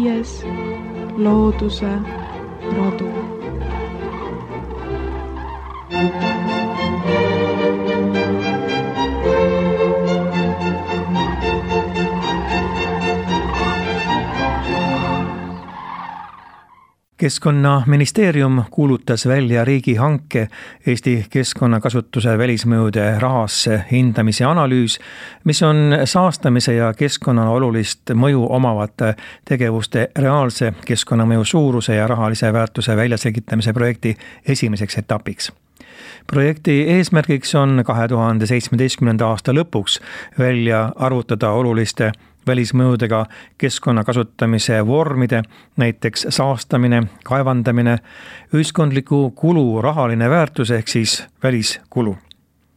5. Looduse rodu. Keskkonnaministeerium kuulutas välja riigihanke Eesti keskkonnakasutuse välismõjude rahasse hindamise analüüs, mis on saastamise ja keskkonnale olulist mõju omavate tegevuste reaalse keskkonnamõju suuruse ja rahalise väärtuse väljaselgitamise projekti esimeseks etapiks. Projekti eesmärgiks on 2017. aasta lõpuks välja arvutada oluliste välismõjudega keskkonna kasutamise vormide, näiteks saastamine, kaevandamine, ühiskondliku kulu rahaline väärtus ehk siis väliskulu.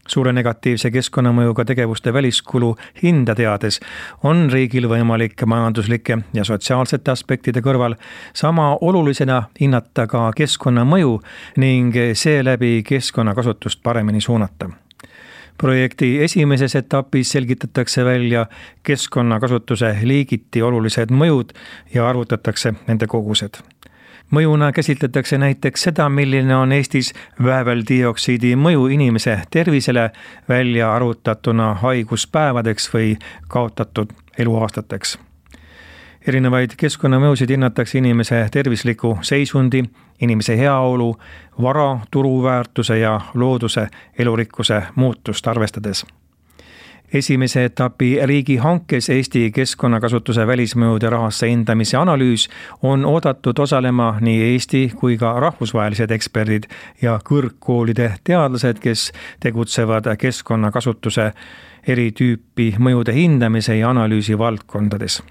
Suure negatiivse keskkonnamõjuga tegevuste väliskulu hinda teades on riigil võimalik majanduslike ja sotsiaalsete aspektide kõrval sama olulisena hinnata ka keskkonnamõju ning seeläbi keskkonnakasutust paremini suunata. Projekti esimeses etapis selgitatakse välja keskkonnakasutuse liigiti olulised mõjud ja arvutatakse nende kogused. Mõjuna käsitletakse näiteks seda, milline on Eestis vääveldioksiidi mõju inimese tervisele välja arvutatuna haiguspäevadeks või kaotatud eluaastateks. Erinevaid keskkonnamõjusid hinnatakse inimese tervisliku seisundi, inimese heaolu, vara, turuväärtuse ja looduse elurikkuse muutust arvestades. Esimese etapi riigihankes Eesti keskkonnakasutuse välismõjude rahasse hindamise analüüs on oodatud osalema nii Eesti kui ka rahvusvahelised eksperdid ja kõrgkoolide teadlased, kes tegutsevad keskkonnakasutuse eri tüüpi mõjude hindamise ja analüüsi valdkondades.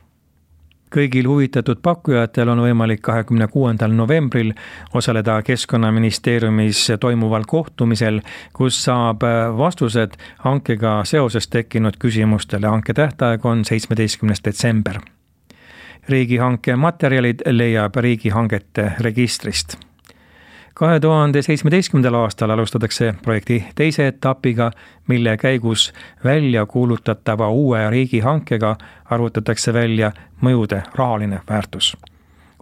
Kõigil huvitatud pakkujatel on võimalik 26. novembril osaleda Keskkonnaministeeriumis toimuval kohtumisel, kus saab vastused hankega seoses tekkinud küsimustele. Hanke tähtaeg on 17. detsember. Riigihanke materjalid leiab riigihangete registrist. 2017. aastal alustatakse projekti teise etapiga, mille käigus välja kuulutatava uue riigihankega arvutatakse välja mõjude rahaline väärtus.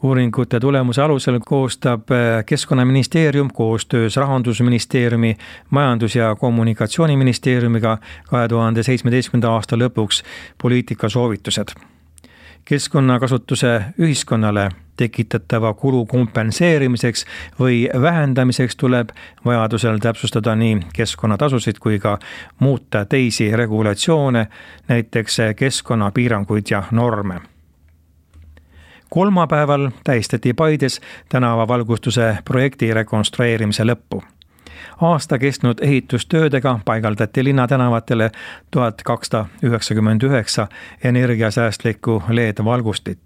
Uuringute tulemuse alusel koostab Keskkonnaministeerium koostöös Rahandusministeeriumi, Majandus- ja Kommunikatsiooniministeeriumiga 2017. aasta lõpuks poliitikasoovitused. Keskkonnakasutuse ühiskonnale tekitatava kulu kompenseerimiseks või vähendamiseks tuleb vajadusel täpsustada nii keskkonnatasusid kui ka muuta teisi regulatsioone, näiteks keskkonnapiiranguid ja norme. Kolmapäeval tähistati Paides tänavavalgustuse projekti rekonstrueerimise lõppu. Aasta kestnud ehitustöödega paigaldati linnatänavatele 1299 energiasäästlikku LED-valgustit.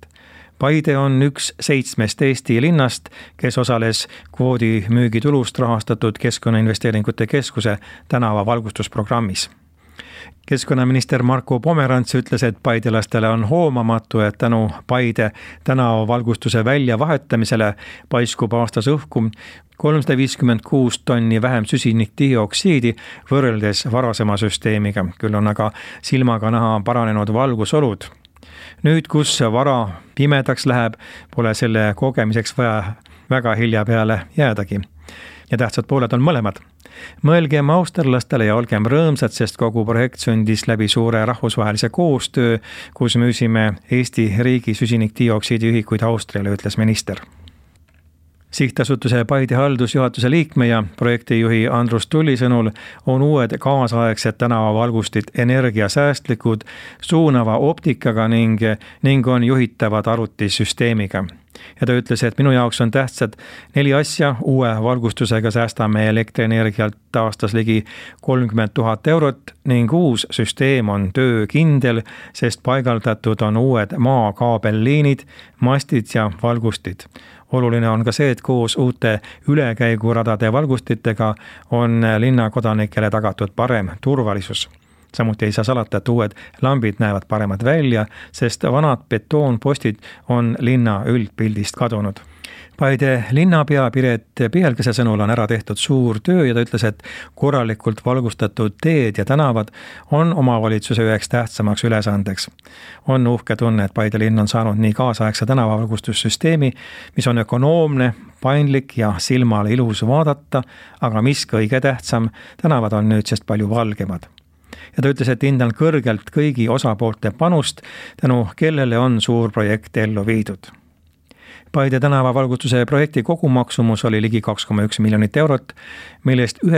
Paide on üks 7 Eesti linnast, kes osales kvoodi müügitulust rahastatud Keskkonnainvesteeringute Keskuse tänavavalgustusprogrammis. Keskkonnaminister Marko Pomerants ütles, et paidelastele on hoomamatu, et tänu Paide tänavavalgustuse väljavahetamisele paiskub aastas õhku 356 tonni vähem süsinikdioksiidi võrreldes varasema süsteemiga. Küll on aga silmaga näha paranenud valgusolud. Nüüd, kus vara pimedaks läheb, pole selle kogemiseks vaja väga hilja peale jäädagi. Ja tähtsad pooled on mõlemad. Mõelgem austerlastele ja olgem rõõmsad, sest kogu projekt sündis läbi suure rahvusvahelise koostöö, kus müüsime Eesti riigi süsinikdioksiidi ühikuid Austriale, ütles minister. Sihtasutuse Paide haldusjuhatuse liikme ja projektijuhi Andrus Tulli sõnul on uued kaasaegsed tänavavalgustid energiasäästlikud, suunava optikaga ning on juhitavad arvutisüsteemiga. Ja ta ütles, et minu jaoks on tähtsad 4 asja. Uue valgustusega säästame elektrienergialt aastas ligi 30 000 eurot ning uus süsteem on töökindel, sest paigaldatud on uued maakaabelliinid, mastid ja valgustid. Oluline on ka see, et koos uute ülekäiguradade valgustitega on linnakodanikele tagatud parem turvalisus. Samuti ei saa salata, et uued lambid näevad paremad välja, sest vanad betoonpostid on linna üldpildist kadunud. Paide linnapea Piret Pihelgese sõnul on ära tehtud suur töö ja ta ütles, et korralikult valgustatud teed ja tänavad on omavalitsuse üheks tähtsamaks ülesandeks. On uhke tunne, et Paide linn on saanud nii kaasaegse tänavavalgustussüsteemi, mis on ökonoomne, paindlik ja silmale ilus vaadata, aga mis kõige tähtsam, tänavad on nüüdsest palju valgemad. Ja ta ütles, et hindan kõrgelt kõigi osapoolte panust, tänu kellele on suur projekt ellu viidud. Paide tänavavalgustuse projekti kogumaksumus oli ligi 2,1 miljonit eurot, millest 90%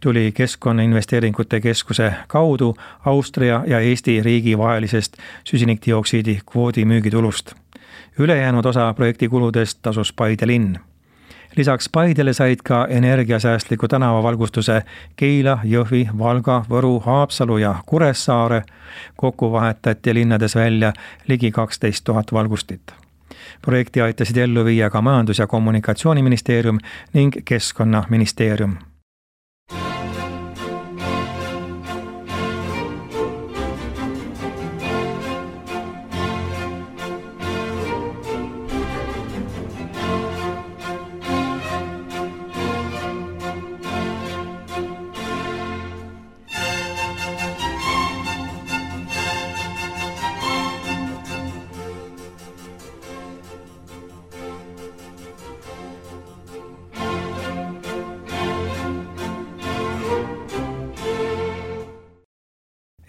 tuli Keskkonnainvesteeringute Keskuse kaudu Austria ja Eesti riigi vahelisest süsinikdioksiidi kvoodi müügitulust. Ülejäänud osa projekti kuludest tasus Paide linn. Lisaks Paidele said ka energiasäästliku tänavavalgustuse Keila, Jõhvi, Valga, Võru, Haapsalu ja Kuressaare. Kokku vahetati linnades välja ligi 12 000 valgustit. Projekti aitasid ellu viia ka Majandus- ja Kommunikatsiooniministeerium ning Keskkonnaministeerium.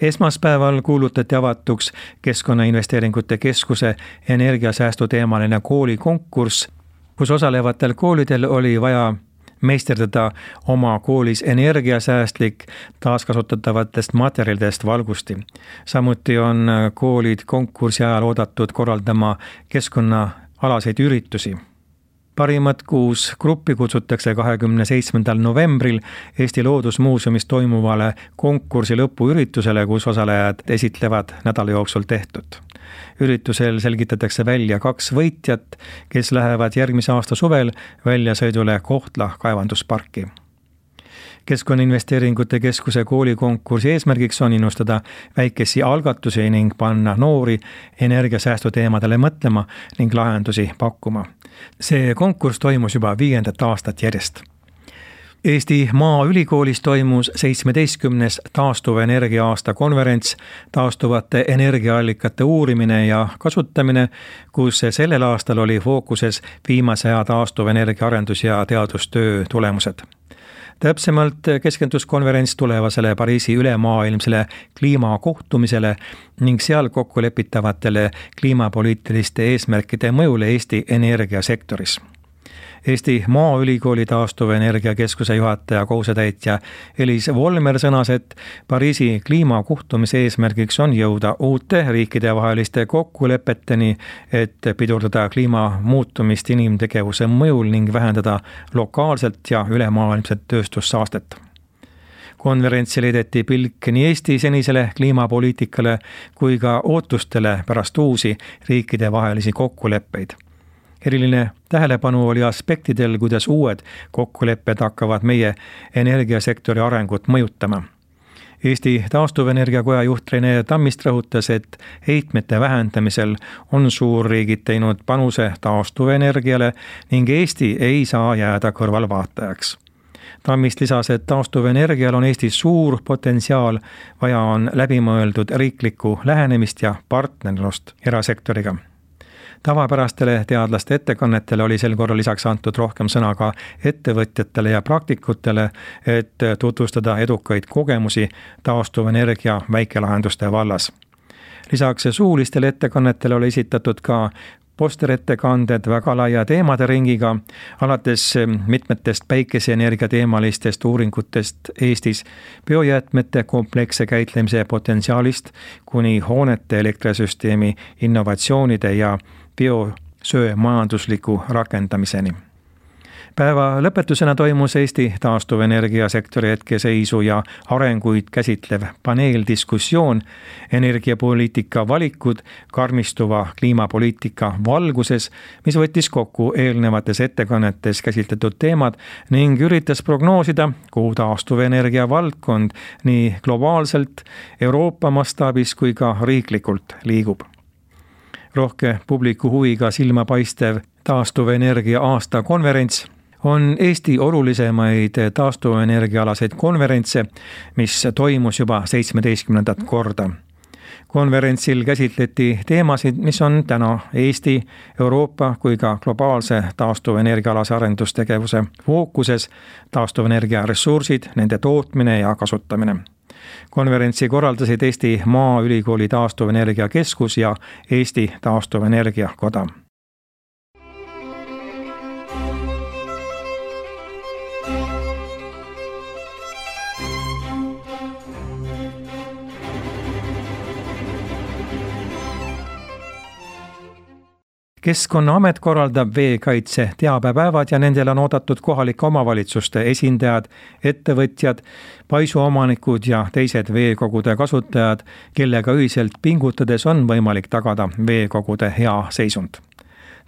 Esmaspäeval kuulutati avatuks Keskkonnainvesteeringute Keskuse energiasäästu teemaline koolikonkurss, kus osalevatel koolidel oli vaja meisterdada oma koolis energiasäästlik taaskasutatavatest materjalidest valgusti. Samuti on koolid konkursi ajal oodatud korraldama keskkonnaalaseid üritusi. Parimat 6 gruppi kutsutakse 27. novembril Eesti Loodusmuuseumis toimuvale konkursi lõpuüritusele, kus osalejad esitlevad nädala jooksul tehtud. Üritusel selgitatakse välja 2 võitjat, kes lähevad järgmise aasta suvel väljasõidule Kohtla kaevandusparki. Keskkonnainvesteeringute Keskuse koolikonkursi eesmärgiks on innustada väikesi algatusi ning panna noori energiasäästu teemadele mõtlema ning lahendusi pakkuma. See konkurss toimus juba 5. aastat järjest. Eesti Maaülikoolis toimus 17. taastuvenergia aasta konverents taastuvate energiaallikate uurimine ja kasutamine, kus sellel aastal oli fookuses viimase aja taastuvenergia arendus- ja teadustöö tulemused. Täpsemalt keskendus konverents tulevasele Pariisi ülemaailmsele kliimakohtumisele ning seal kokku lepitavatele kliimapoliitiliste eesmärkide mõjule Eesti energiasektoris. Eesti Maaülikooli taastuvenergia keskuse juhataja kohusetäitja Elis Volmer sõnas, et Pariisi kliimakohtumise eesmärgiks on jõuda uute riikidevaheliste kokkulepeteni, et pidurdada kliima muutumist inimtegevuse mõjul ning vähendada lokaalselt ja ülemaailmset tööstussaastet. Konverentsil heideti pilk nii Eesti senisele kliimapoliitikale kui ka ootustele pärast uusi riikidevahelisi kokkuleppeid. Eriline tähelepanu oli aspektidel, kuidas uued kokkulepped hakkavad meie energiasektori arengut mõjutama. Eesti Taastuvenergiakoja juht Rene Tammist rõhutas, et heitmete vähendamisel on suurriigid teinud panuse taastuvenergiale ning Eesti ei saa jääda kõrvalvaatajaks. Tammist lisas, et taastuvenergial on Eestis suur potentsiaal, vaja on läbimõeldud riiklikku lähenemist ja partnerlust erasektoriga. Tavapärastele teadlaste ettekannetele oli sel korral lisaks antud rohkem sõna ka ettevõtjatele ja praktikutele, et tutvustada edukaid kogemusi taastuvenergia väikelahenduste vallas. Lisaks suulistele ettekannetele oli esitatud ka posterettekanded väga laia teemade ringiga, alates mitmetest päikeseenergia teemalistest uuringutest Eestis, biojäätmete kompleksse käitlemise potentsiaalist kuni hoonete elektrisüsteemi innovatsioonide ja biosöe majandusliku rakendamiseni. Päeva lõpetusena toimus Eesti taastuvenergiasektori hetkeseisu ja arenguid käsitlev paneeldiskussioon energiapoliitika valikud karmistuva kliimapoliitika valguses, mis võttis kokku eelnevates ettekannetes käsitletud teemad ning üritas prognoosida, kuhu taastuvenergia valdkond nii globaalselt, Euroopa mastaabis kui ka riiklikult liigub. Rohke publiku huviga silmapaistev taastuvenergia aasta konverents on Eesti olulisemaid taastuvenergiaalaseid konverentse, mis toimus juba 17. korda. Konverentsil käsitleti teemasid, mis on täna Eesti, Euroopa kui ka globaalse taastuvenergiaalase arendustegevuse fookuses, taastuvenergia ressursid, nende tootmine ja kasutamine. Konverentsi korraldasid Eesti Maaülikooli taastuvenergia keskus ja Eesti taastuvenergia koda. Keskkonnaamet korraldab veekaitse teabepäevad ja nendel on oodatud kohalike omavalitsuste esindajad, ettevõtjad, paisuomanikud ja teised veekogude kasutajad, kellega ühiselt pingutades on võimalik tagada veekogude hea seisund.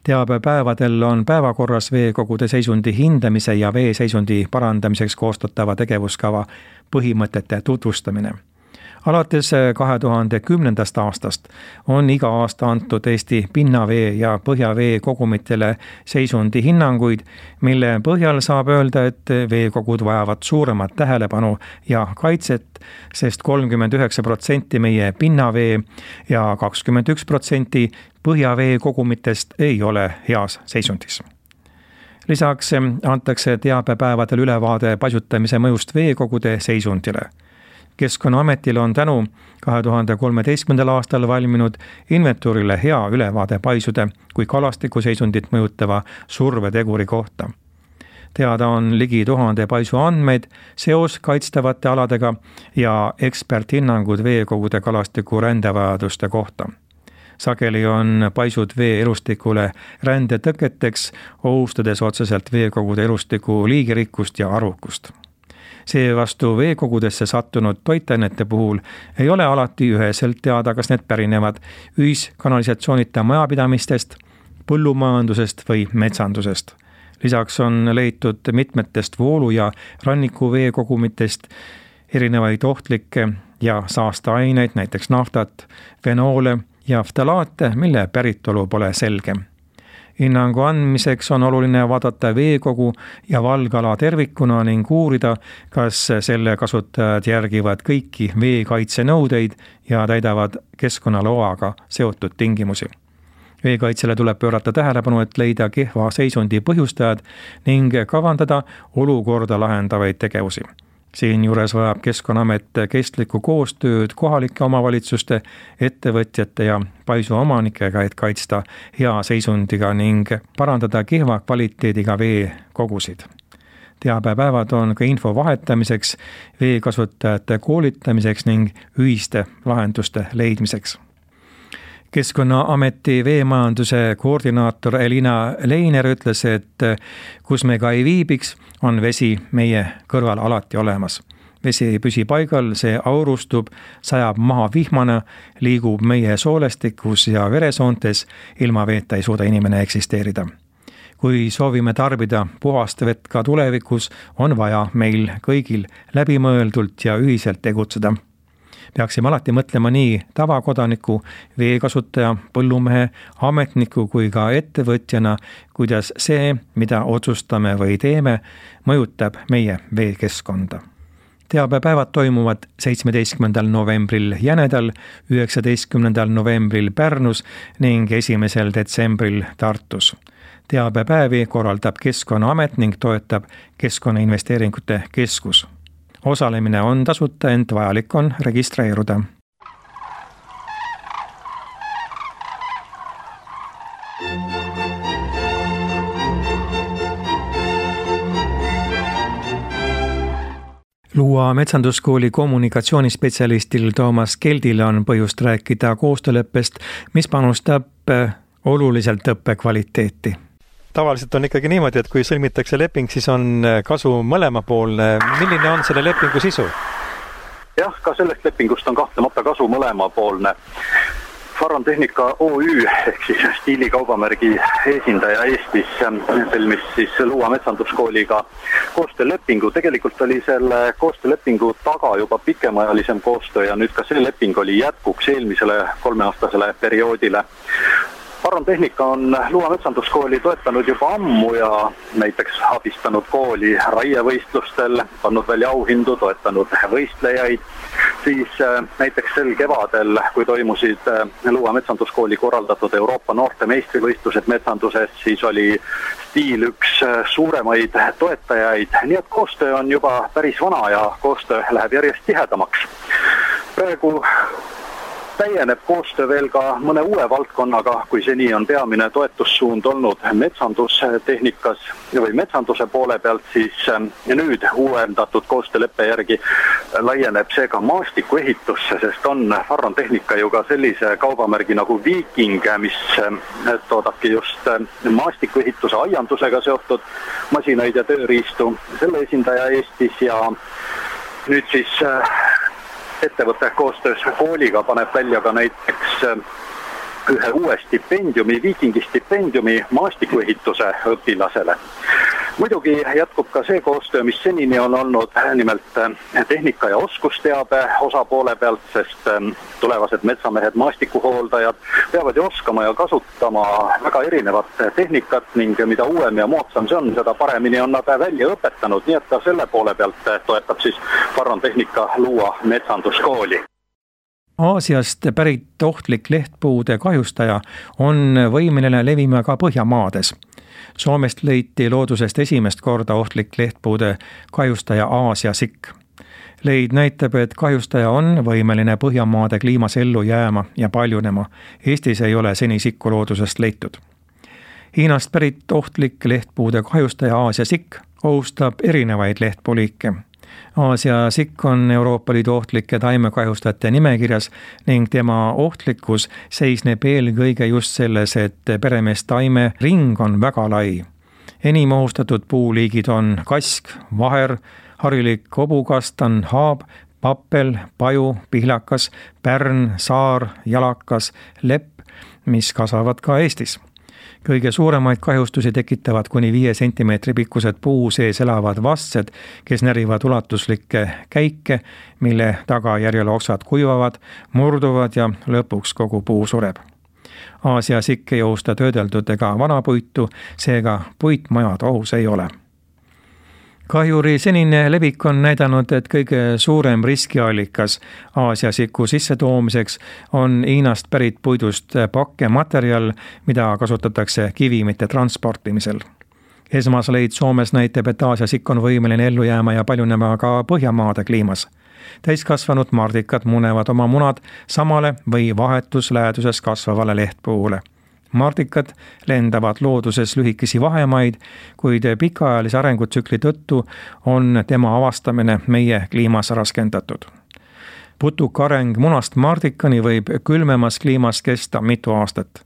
Teabepäevadel on päevakorras veekogude seisundi hindamise ja veeseisundi parandamiseks koostatava tegevuskava põhimõtete tutvustamine. Alates 2010. aastast on iga aasta antud Eesti pinnavee ja põhjavee kogumitele seisundi hinnanguid, mille põhjal saab öelda, et veekogud vajavad suuremat tähelepanu ja kaitset, sest 39% meie pinnavee ja 21% põhjavee kogumitest ei ole heas seisundis. Lisaks antakse teabepäevadel ülevaade paisutamise mõjust veekogude seisundile. Keskkonnaametil on tänu 2013. aastal valminud inventuurile hea ülevaade paisude kui kalastiku seisundit mõjutava surveteguri kohta. Teada on ligi 1000 paisu andmeid seos kaitstavate aladega ja eksperthinnangud veekogude kalastiku rändevajaduste kohta. Sageli on paisud vee elustikule rändetõketeks, ohustades otseselt veekogude elustiku liigirikkust ja arvukust. Seevastu veekogudesse sattunud toitainete puhul ei ole alati üheselt teada, kas need pärinevad ühiskanalisatsioonita majapidamistest, põllumajandusest või metsandusest. Lisaks on leitud mitmetest voolu- ja rannikuveekogumitest erinevaid ohtlikke ja saasteaineid, näiteks naftat, fenoole ja ftalaate, mille päritolu pole selge. Hinnangu andmiseks on oluline vaadata veekogu ja valgala tervikuna ning uurida, kas selle kasutajad järgivad kõiki veekaitsenõudeid ja täidavad keskkonnaloaga seotud tingimusi. Veekaitsele tuleb pöörata tähelepanu, et leida kehva seisundi põhjustajad ning kavandada olukorda lahendavaid tegevusi. Siinjuures vajab Keskkonnaamet kestlikku koostööd kohalike omavalitsuste, ettevõtjate ja paisuomanikega, et kaitsta hea seisundiga ning parandada kehva kvaliteediga veekogusid. Teabepäevad on ka info vahetamiseks, veekasutajate koolitamiseks ning ühiste lahenduste leidmiseks. Keskkonnaameti veemajanduse koordinaator Elina Leiner ütles, et kus me ka ei viibiks, on vesi meie kõrval alati olemas. Vesi ei püsi paigal, see aurustub, sajab maha vihmana, liigub meie soolestikus ja veresoontes, ilma veeta ei suuda inimene eksisteerida. Kui soovime tarbida puhast vett ka tulevikus, on vaja meil kõigil läbimõeldult ja ühiselt tegutseda. Peaksime alati mõtlema nii tavakodaniku, veekasutaja, põllumehe, ametniku kui ka ettevõtjana, kuidas see, mida otsustame või teeme, mõjutab meie veekeskkonda. Teabepäevad toimuvad 17. novembril Jänedal, 19. novembril Pärnus ning 1. detsembril Tartus. Teabepäevi korraldab Keskkonnaamet ning toetab Keskkonnainvesteeringute Keskus. Osalemine on tasuta, ent vajalik on registreeruda. Luua metsanduskooli kommunikatsioonispetsialistil Toomas Keldil on põhjust rääkida koostööleppest, mis panustab oluliselt õppekvaliteeti. Tavaliselt on ikkagi niimoodi, et kui sõlmitakse leping, siis on kasu mõlemapoolne. Milline on selle lepingu sisu? Jah, ka sellest lepingust on kahtlemata kasu mõlemapoolne. Farron Tehnika OÜ ehk siis stiilikaubamärgi esindaja Eestis sõlmis siis Luua metsanduskooliga koostöölepingu. Tegelikult oli selle koostöölepingu taga juba pikemaajalisem koostöö ja nüüd ka see leping oli jätkuks eelmisele 3-aastasele perioodile. Farron Tehnika on Luua metsanduskooli toetanud juba ammu ja näiteks abistanud kooli raievõistlustel, pannud välja auhindu, toetanud võistlejaid. Siis näiteks sel kevadel, kui toimusid Luua metsanduskooli korraldatud Euroopa noorte meistrivõistlused metsanduses, siis oli Stiil üks suuremaid toetajaid, nii et koostöö on juba päris vana ja koostöö läheb järjest tihedamaks. Praegu täieneb koostöö veel ka mõne uue valdkonnaga, kui seni on peamine toetussuund olnud metsandustehnikas või metsanduse poole pealt, siis nüüd uuendatud koostööleppe järgi laieneb see ka maastikuehitusse, sest on Farron Tehnika ju ka sellise kaubamärgi nagu Viking, mis toodabki just maastikuehituse aiandusega seotud masinaid ja tööriistu. Selle esindaja Eestis ja nüüd siis ettevõte koostöös kooliga paneb välja ka näiteks ühe uue stipendiumi, Vikingi stipendiumi maastikuehituse õpilasele. Muidugi jätkub ka see koostöö, mis senini on olnud, nimelt tehnika ja oskusteabe osapoole pealt, sest tulevased metsamehed, maastikuhooldajad peavad ju oskama ja kasutama väga erinevat tehnikat ning mida uuem ja moodsam see on, seda paremini on nad välja õpetanud, nii et ka selle poole pealt toetab siis Farron Tehnika Luua metsanduskooli. Aasiast pärit ohtlik lehtpuude kahjustaja on võimeline levima ka Põhjamaades. Soomest leiti loodusest esimest korda ohtlik lehtpuude kahjustaja Aasia sikk. Leid näitab, et kahjustaja on võimeline Põhjamaade kliimas ellu jääma ja paljunema. Eestis ei ole seni sikku loodusest leitud. Hiinast pärit ohtlik lehtpuude kahjustaja Aasia sikk ohustab erinevaid lehtpuuliike. Aasia sikk on Euroopa Liidu ohtlike taimekahjustajate nimekirjas ning tema ohtlikkus seisneb eelkõige just selles, et peremeestaime ring on väga lai. Enim ohustatud puuliigid on kask, vaher, harilik hobukastan, haab, pappel, paju, pihlakas, pärn, saar, jalakas, lepp, mis kasvavad ka Eestis. Kõige suuremaid kahjustusi tekitavad kuni 5 sentimeetri pikkused puu sees elavad vastsed, kes närivad ulatuslikke käike, mille tagajärjel oksad kuivavad, murduvad ja lõpuks kogu puu sureb. Aasia sikk ei ohusta töödeldud ega vanapuitu, seega puitmajad ohus ei ole. Kahjuri senine levik on näidanud, et kõige suurem riskiallikas Aasia siku sissetoomiseks on Hiinast pärit puidust pakkematerjal, mida kasutatakse kivimite transportimisel. Esmasleid Soomes näitab, et Aasia sikk on võimeline ellu jääma ja paljunema ka Põhjamaade kliimas. Täiskasvanud mardikad munevad oma munad samale või vahetus läheduses kasvavale lehtpuule. Mardikad lendavad looduses lühikesi vahemaid, kuid pikaajalise arengutsükli tõttu on tema avastamine meie kliimas raskendatud. Putuka areng munast mardikani võib külmemas kliimas kesta mitu aastat.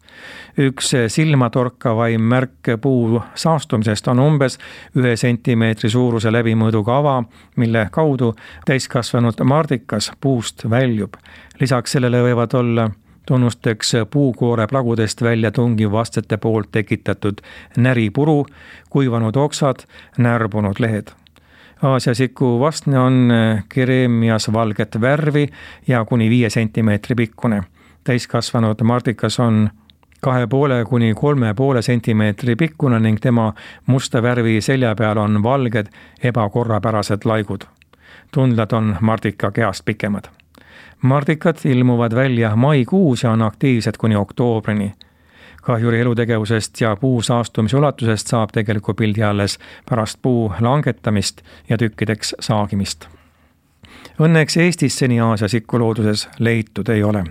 Üks silmatorkavaim märk puu saastumisest on umbes 1 sentimeetri suuruse läbimõõduga ava, mille kaudu täiskasvanud mardikas puust väljub. Lisaks sellele võivad olla tunnusteks puukoore plagudest välja tungiv vastsete poolt tekitatud näripuru, kuivanud oksad, närbunud lehed. Aasia siku vastne on kereemias valget värvi ja kuni 5 sentimeetri pikkune. Täiskasvanud mardikas on 2,5 kuni 3,5 sentimeetri pikkune ning tema musta värvi selja peal on valged ebakorrapärased laigud. Tundlad on mardika kehast pikemad. Mardikad ilmuvad välja maikuus ja on aktiivsed kuni oktoobrini. Kahjuri elutegevusest ja puu saastumise ulatusest saab tegeliku pildi alles pärast puu langetamist ja tükkideks saagimist. Õnneks Eestis seni Aasia sikku looduses leitud ei ole.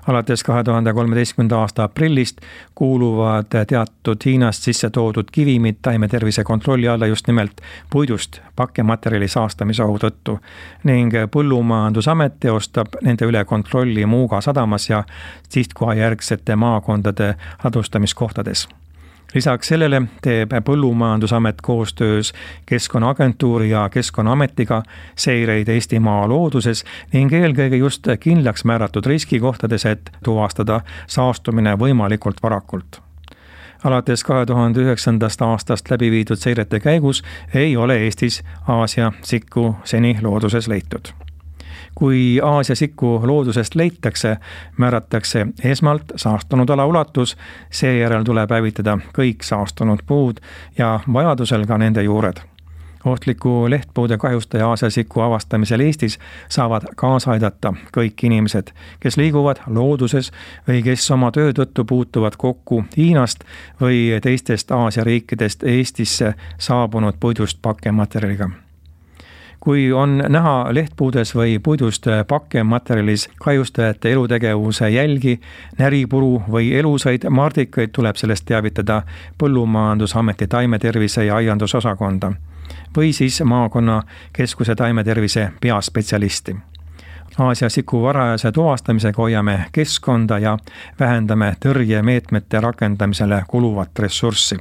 Alates 2013. aasta aprillist kuuluvad teatud Hiinast sisse toodud kivimid taimetervise kontrolli alla just nimelt puidust pakkematerjali saastamise ohu tõttu ning Põllumajandusamet teostab nende üle kontrolli Muuga sadamas ja sihtkohajärgsete maakondade ladustamiskohtades. Lisaks sellele teeb Põllumajandusamet koostöös Keskkonnaagentuuri ja Keskkonnaametiga seireid Eestimaa looduses ning eelkõige just kindlaks määratud riskikohtades, et tuvastada saastumine võimalikult varakult. Alates 2009. aastast läbi viidud seirete käigus ei ole Eestis Aasia sikku seni looduses leitud. Kui Aasia sikku loodusest leitakse, määratakse esmalt saastunud ala ulatus, seejärel tuleb hävitada kõik saastunud puud ja vajadusel ka nende juured. Ohtliku lehtpuude kahjustaja Aasia siku avastamisel Eestis saavad kaasa aidata kõik inimesed, kes liiguvad looduses või kes oma töö tõttu puutuvad kokku Hiinast või teistest Aasia riikidest Eestisse saabunud puidust pakkematerjaliga. Kui on näha lehtpuudes või puidust pakkematerjalis kahjustajate elutegevuse jälgi, näripuru või elusaid mardikaid, tuleb sellest teavitada Põllumajandusameti taimetervise ja aiandusosakonda või siis maakonnakeskuse taimetervise peaspetsialisti. Aasia siku varajase tuvastamisega hoiame keskkonda ja vähendame tõrjemeetmete rakendamisele kuluvat ressurssi.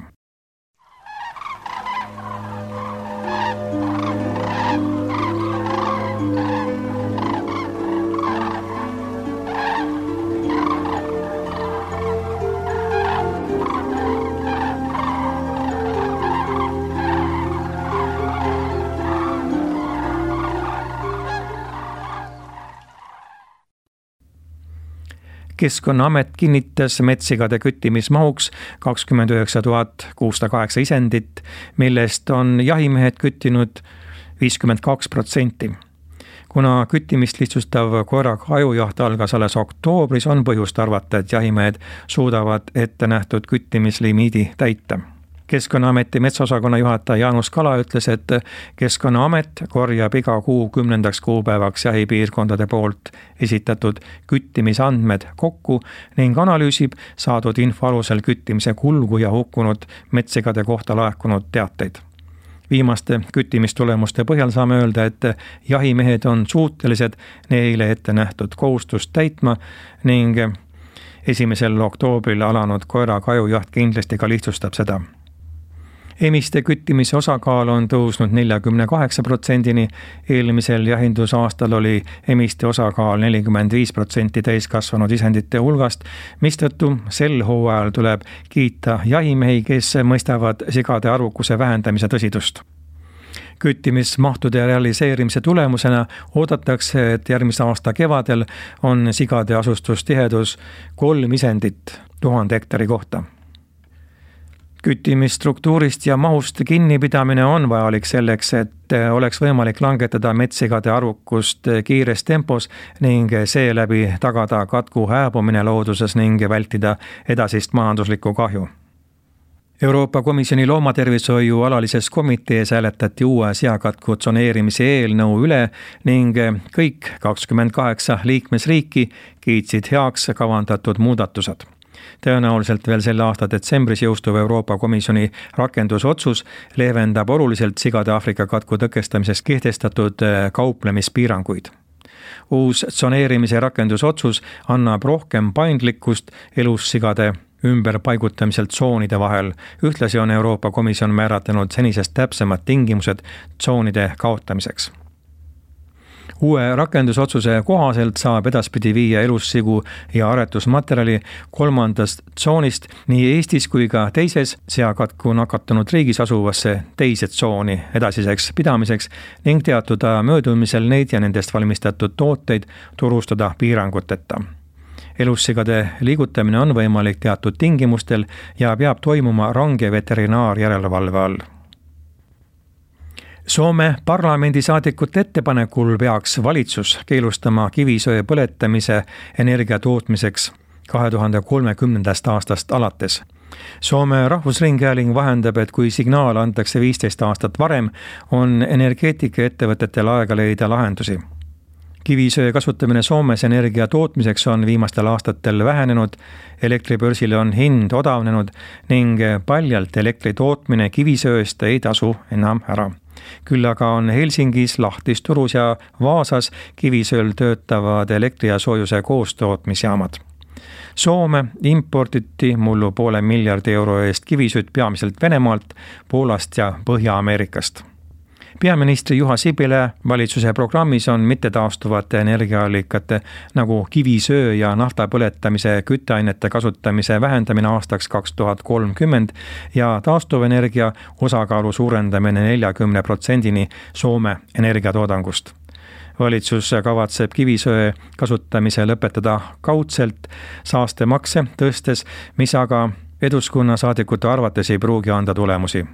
Keskkonnaamet kinnitas metssigade küttimismahuks 29 608 isendit, millest on jahimehed küttinud 52%. Kuna küttimist lihtsustav koeraga ajujaht algas alles oktoobris, on põhjust arvata, et jahimehed suudavad ette nähtud küttimislimiidi täita. Keskkonnaameti metsaosakonna juhataja Jaanus Kala ütles, et Keskkonnaamet korjab iga kuu 10. kuupäevaks jahipiirkondade poolt esitatud küttimisandmed kokku ning analüüsib saadud info alusel küttimise kulgu ja hukkunud metssigade kohta laekunud teateid. Viimaste küttimistulemuste põhjal saame öelda, et jahimehed on suutelised neile ette nähtud kohustust täitma ning 1. oktoobril alanud koeraga ajujaht kindlasti ka lihtsustab seda. Emiste küttimise osakaal on tõusnud 48%-ni, eelmisel jahindusaastal oli emiste osakaal 45% täiskasvanud isendite hulgast, mistõttu sel hooajal tuleb kiita jahimehi, kes mõistavad sigade arvukuse vähendamise tõsidust. Küttimismahtude realiseerimise tulemusena oodatakse, et järgmise aasta kevadel on sigade asustustihedus 3 isendit 1000 hektari kohta. Küttimisstruktuurist ja mahust kinnipidamine on vajalik selleks, et oleks võimalik langetada metssigade arvukust kiires tempos ning seeläbi tagada katku hääbumine looduses ning vältida edasist majanduslikku kahju. Euroopa Komisjoni loomatervishoiu alalises komitees hääletati uue seakatku tsoneerimise eelnõu üle ning kõik 28 liikmesriiki kiitsid heaks kavandatud muudatused. Tõenäoliselt veel selle aasta detsembris jõustuv Euroopa Komisjoni rakendusotsus leevendab oluliselt sigade Aafrika katku tõkestamiseks kehtestatud kauplemispiiranguid. Uus tsoneerimise rakendusotsus annab rohkem paindlikkust elussigade ümberpaigutamiselt tsoonide vahel. Ühtlasi on Euroopa Komisjon määratlenud senisest täpsemad tingimused tsoonide kaotamiseks. Uue rakendusotsuse kohaselt saab edaspidi viia elussigu ja aretusmaterjali 3. tsoonist nii Eestis kui ka teises seakatku nakatunud riigis asuvasse teise tsooni edasiseks pidamiseks ning teatud aja möödumisel neid ja nendest valmistatud tooteid turustada piiranguteta. Elussigade liigutamine on võimalik teatud tingimustel ja peab toimuma range veterinaarjärelevalve all. Soome parlamendisaadikute ettepanekul peaks valitsus keelustama kivisöe põletamise energia tootmiseks 2030. aastast alates. Soome Rahvusringhääling vahendab, et kui signaal antakse 15 aastat varem, on energeetikaettevõtetel aega leida lahendusi. Kivisöe kasutamine Soomes energia tootmiseks on viimastel aastatel vähenenud, elektribörsile on hind odavnenud ning paljalt elektri tootmine kivisööst ei tasu enam ära. Küll aga on Helsingis, Lahtis, Turus ja Vaasas kivisööl töötavad elektri- ja soojuse koostootmisjaamad. Soome importiti mullu €500 miljardi eest kivisööd peamiselt Venemaalt, Poolast ja Põhja-Ameerikast. Peaministri Juha Sipilä valitsuse programmis on mittetaastuvate energiaallikate nagu kivisöö ja nafta põletamise kütteainete kasutamise vähendamine aastaks 2030 ja taastuvenergia osakaalu suurendamine 40%-ni Soome energiatoodangust. Valitsus kavatseb kivisöe kasutamise lõpetada kaudselt saastemakse tõstes, mis aga Eduskunna saadikute arvates ei pruugi anda tulemusi.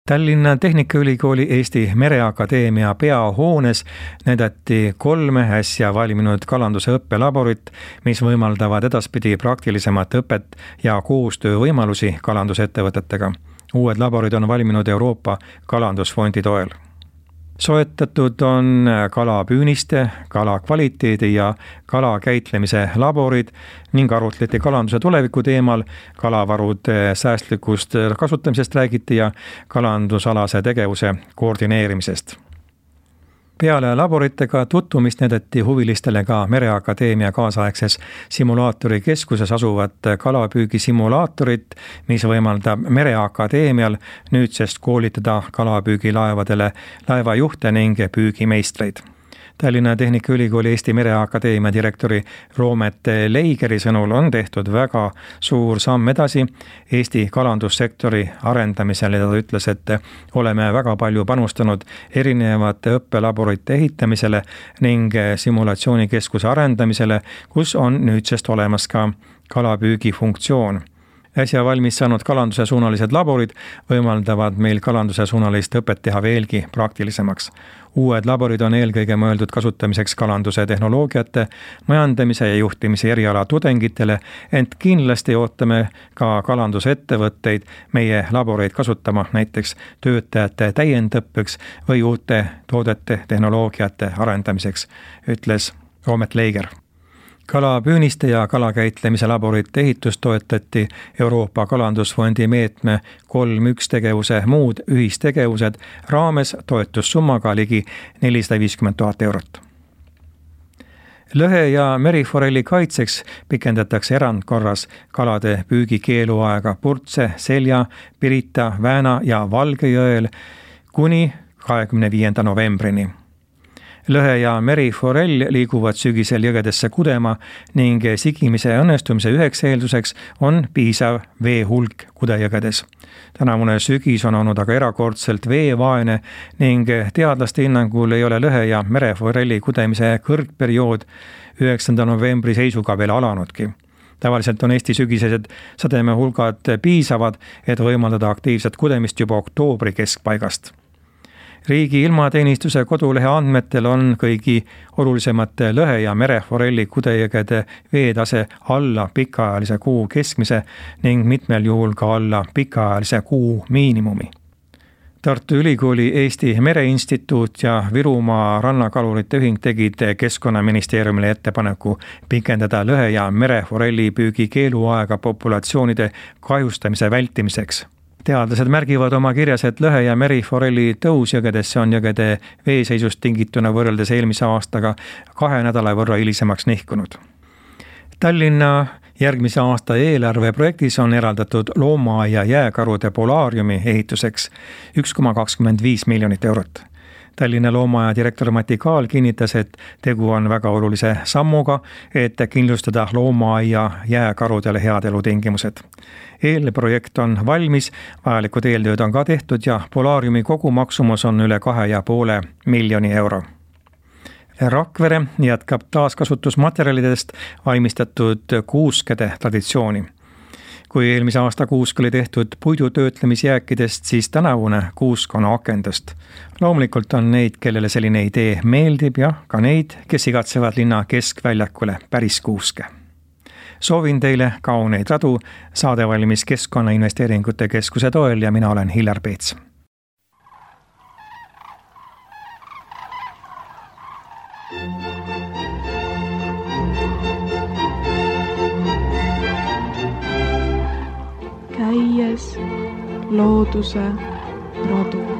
Tallinna Tehnikaülikooli Eesti Mereakadeemia peahoones näidati 3 äsja valminud kalanduse õppelaborit, mis võimaldavad edaspidi praktilisemat õpet ja koostöövõimalusi kalandusettevõtetega. Uued laborid on valminud Euroopa Kalandusfondi toel. Soetatud on kalapüüniste, kala kvaliteedi ja kala käitlemise laborid ning arutleti kalanduse tuleviku teemal, kalavarude säästlikust kasutamisest räägiti ja kalandusalase tegevuse koordineerimisest. Peale laboritega tutvumist näidati huvilistele ka Mereakadeemia kaasaegses simulaatorikeskuses asuvat kalapüügisimulaatorit, mis võimaldab Mereakadeemial nüüdsest koolitada kalapüügilaevadele laevajuhte ning püügimeistreid. Tallinna Tehnikaülikooli Eesti Mereakadeemia direktori Roomet Leigeri sõnul on tehtud väga suur samm edasi Eesti kalandussektori arendamisel ja ta ütles, et oleme väga palju panustanud erinevate õppelaborite ehitamisele ning simulatsioonikeskuse arendamisele, kus on nüüdsest olemas ka kalapüügi funktsioon. Äsja valmis saanud kalanduse suunalised laborid võimaldavad meil kalanduse suunalist õpet teha veelgi praktilisemaks. Uued laborid on eelkõige mõeldud kasutamiseks kalanduse tehnoloogiate, majandamise ja juhtimise eriala tudengitele, ent kindlasti ootame ka kalandusettevõtteid meie laboreid kasutama näiteks töötajate täiendõppeks või uute toodete tehnoloogiate arendamiseks, ütles Roomet Leiger. Kalapüüniste ja kalakäitlemise laborite ehitust toetati Euroopa Kalandusfondi meetme 3.1 tegevuse muud ühistegevused raames toetussummaga ligi 450 000 eurot. Lõhe- ja meriforelli kaitseks pikendatakse erandkorras kalade püügikeeluaega Purtse, Selja, Pirita, Vääna ja Valgejõel kuni 25. novembrini. Lõhe- ja meriforell liiguvad sügisel jõgedesse kudema ning sigimise õnnestumise üheks eelduseks on piisav vee hulk kudejõgedes. Tänavune sügis on olnud aga erakordselt veevaene ning teadlaste hinnangul ei ole lõhe- ja mereforelli kudemise kõrgperiood 9. novembri seisuga veel alanudki. Tavaliselt on Eesti sügisesed sademe hulgad piisavad, et võimaldada aktiivset kudemist juba oktoobri keskpaigast. Riigi ilmateenistuse kodulehe andmetel on kõigi olulisemate lõhe- ja mereforelli kudejõgede veetase alla pikaajalise kuu keskmise ning mitmel juhul ka alla pikaajalise kuu miinimumi. Tartu Ülikooli Eesti Mereinstituut ja Virumaa rannakalurite ühing tegid Keskkonnaministeeriumile ettepaneku pikendada lõhe- ja mereforelli püügi keeluaega populatsioonide kahjustamise vältimiseks. Teadlased märgivad oma kirjas, et lõhe- ja meriforelli tõus jõgedesse on jõgede veeseisust tingituna võrreldes eelmise aastaga 2 nädala võrra hilisemaks nihkunud. Tallinna järgmise aasta eelarveprojektis on eraldatud loomaaia jääkarude polaariumi ehituseks 1,25 miljonit eurot. Tallinna loomaaia direktor Mati Kaal kinnitas, et tegu on väga olulise sammuga, et kindlustada loomaaia jääkarudele head elutingimused. Eelprojekt on valmis, vajalikud eeltööd on ka tehtud ja polaariumi kogumaksumus on üle 2,5 miljoni euro. Rakvere jätkab taaskasutusmaterjalidest valmistatud kuuskede traditsiooni. Kui eelmise aasta kuusk oli tehtud puidutöötlemisjääkidest, siis tänavune kuusk on akendust. Loomulikult on neid, kellele selline idee meeldib ja ka neid, kes igatsevad linna keskväljakule päris kuuske. Soovin teile kauneid radu, saade valmis Keskkonnainvesteeringute Keskuse toel ja mina olen Hillar Peets. Käies looduse radu.